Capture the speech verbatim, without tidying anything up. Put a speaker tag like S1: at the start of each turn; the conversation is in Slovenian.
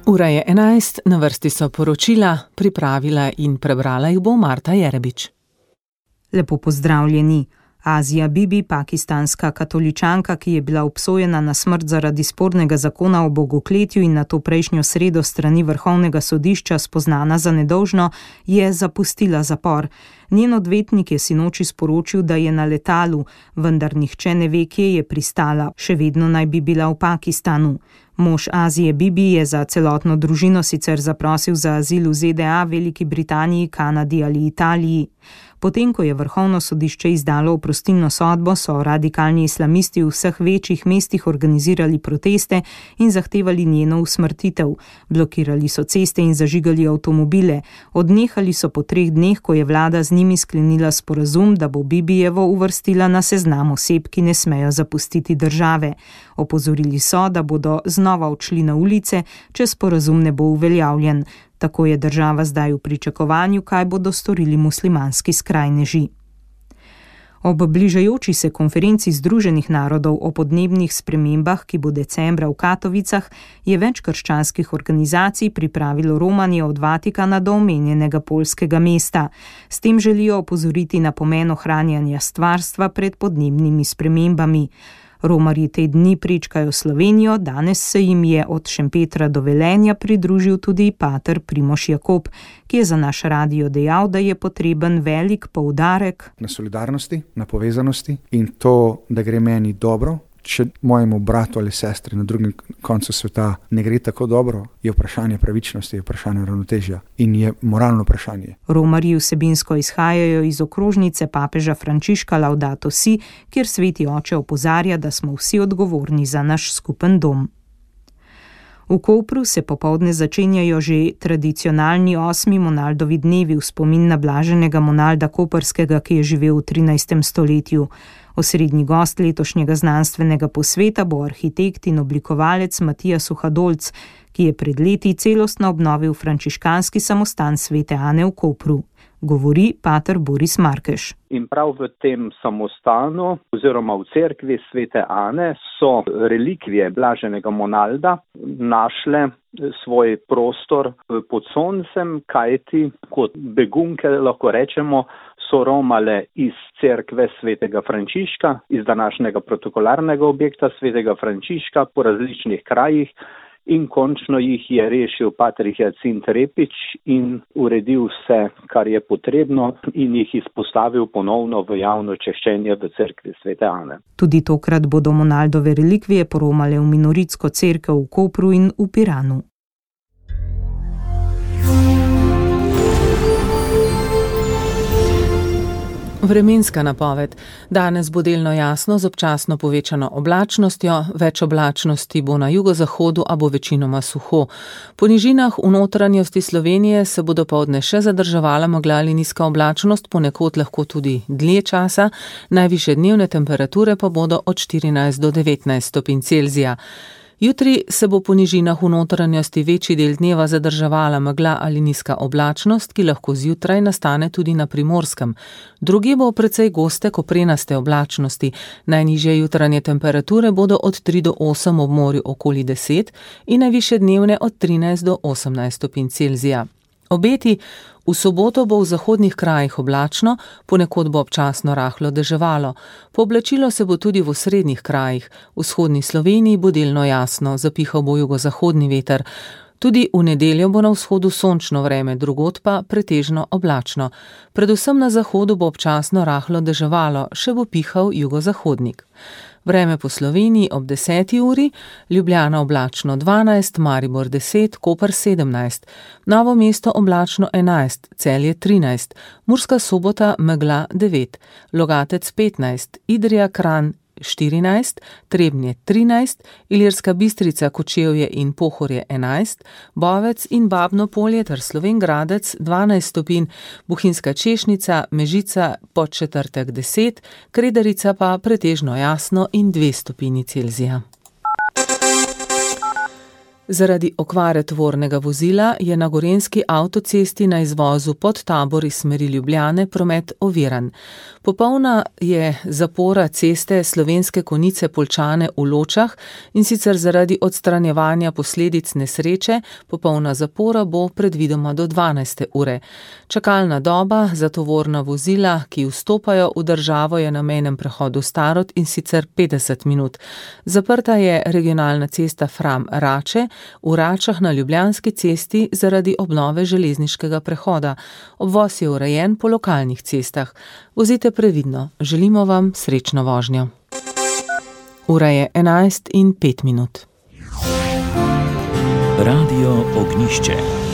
S1: Ura je enajst, na vrsti so poročila, pripravila in prebrala jih bo Marta Jerebič.
S2: Lepo pozdravljeni. Azija Bibi, pakistanska katoličanka, ki je bila obsojena na smrt zaradi spornega zakona o bogokletju in nato prejšnjo sredo strani vrhovnega sodišča spoznana za nedolžno, je zapustila zapor. Njen odvetnik je sinoči sporočil, da je na letalu, vendar nihče ne ve, kje je pristala, še vedno naj bi bila v Pakistanu. Mož Azije Bibi je za celotno družino sicer zaprosil za azil v Z D A, Veliki Britaniji, Kanadi ali Italiji. Potem, ko je vrhovno sodišče izdalo oprostilno sodbo, so radikalni islamisti v vseh večjih mestih organizirali proteste in zahtevali njeno usmrtitev. Blokirali so ceste in zažigali avtomobile. Odnehali so po treh dneh, ko je vlada z njimi sklenila sporazum, da bo Bibijevo uvrstila na seznam oseb, ki ne smejo zapustiti države. Opozorili so, da bodo znova odšli na ulice, če sporazum ne bo uveljavljen. Tako je država zdaj v pričakovanju, kaj bodo storili muslimanski skrajneži. Ob bližajoči se konferenci Združenih narodov o podnebnih spremembah, ki bo decembra v Katovicah, je več krščanskih organizacij pripravilo romanje od Vatikana do omenjenega poljskega mesta. S tem želijo opozoriti na pomen ohranjanja stvarstva pred podnebnimi spremembami. Romarji te dni pričkajo Slovenijo, danes se jim je od Šempetra do Velenja pridružil tudi pater Primož Jakob, ki je za naš radio dejal, da je potreben velik poudarek
S3: na solidarnosti, na povezanosti in to, da gre meni dobro. Če mojemu bratu ali sestri na drugem koncu sveta ne gre tako dobro, je vprašanje pravičnosti, je vprašanje ravnotežja in je moralno vprašanje.
S2: Romarji vsebinsko izhajajo iz okrožnice papeža Frančiška Laudato Si, kjer sveti oče opozarja, da smo vsi odgovorni za naš skupen dom. V Kopru se popoldne začenjajo že tradicionalni osmi Monaldovi dnevi v spomin na blaženega Monalda Koprskega, ki je živel v trinajstem stoletju. Osrednji gost letošnjega znanstvenega posveta bo arhitekt in oblikovalec Matija Suhadolc, ki je pred leti celostno obnovil frančiškanski samostan Svete Ane v Kopru. Govori pater Boris Markeš.
S4: In prav v tem samostanu oziroma v cerkvi Svete Ane so relikvije blaženega Monalda našle svoj prostor pod soncem, kajti kot begunke lahko rečemo, so romale iz cerkve Svetega Frančiška, iz današnjega protokolarnega objekta Svetega Frančiška po različnih krajih in končno jih je rešil pater Hijacint Repič in uredil vse, kar je potrebno in jih izpostavil ponovno v javno češčenje v cerkvi Svete Ane.
S2: Tudi tokrat bodo Monaldove relikvije poromale v minoritsko cerkev v Kopru in v Piranu.
S1: Vremenska napoved. Danes bo delno jasno z občasno povečano oblačnostjo, več oblačnosti bo na jugozahodu, a bo večinoma suho. Po nižinah v notranjosti Slovenije se bo dopoldne še zadrževala megla ali nizka oblačnost, ponekod lahko tudi dlje časa, najvišje dnevne temperature pa bodo od štirinajst do devetnajst stopinj Celzija. Jutri se bo po nižinah v notranjosti večji del dneva zadrževala megla ali nizka oblačnost, ki lahko zjutraj nastane tudi na Primorskem. Drugje bo precej goste koprenaste oblačnosti. Najnižje jutranje temperature bodo od tri do osem, ob morju okoli deset in najvišje dnevne od trinajst do osemnajst stopinj Celzija. Obeti. V soboto bo v zahodnih krajih oblačno, ponekod bo občasno rahlo deževalo. Pooblačilo se bo tudi v osrednjih krajih. V vzhodni Sloveniji bo delno jasno, zapihal bo jugozahodni veter. Tudi v nedeljo bo na vzhodu sončno vreme, drugod pa pretežno oblačno. Predvsem na zahodu bo občasno rahlo deževalo, še bo pihal jugozahodnik. Vreme po Sloveniji ob deseti uri, Ljubljana oblačno dvanajst, Maribor deset, Koper sedemnajst, Novo mesto oblačno enajst, Celje trinajst, Murska Sobota megla devet, Logatec petnajst, Idrija Kranj štirinajst, Trebnje trinajst, Ilirska Bistrica, Kočevje in Pohorje enajst, Bovec in Babno Polje ter Slovenj Gradec dvanajst stopinj, Bohinjska Češnica, Mežica Podčetrtek deset, Kredarica pa pretežno jasno in dve stopinji Celzija. Zaradi okvare tovornega vozila je na gorenjski avtocesti na izvozu pod Tabor iz smeri Ljubljane promet oviran. Popolna je zapora ceste Slovenske Konjice Poljčane v Ločah, in sicer zaradi odstranjevanja posledic nesreče. Popolna zapora bo predvidoma do dvanajste ure. Čakalna doba za tovorna vozila, ki vstopajo v državo, je na mejnem prehodu Starod, in sicer petdeset minut. Zaprta je regionalna cesta Fram-Rače, v Račah na Ljubljanski cesti zaradi obnove železniškega prehoda. Obvoz je urejen po lokalnih cestah. Vozite previdno. Želimo vam srečno vožnjo. Ura je enajst in pet minut.
S5: Radio Ognjišče.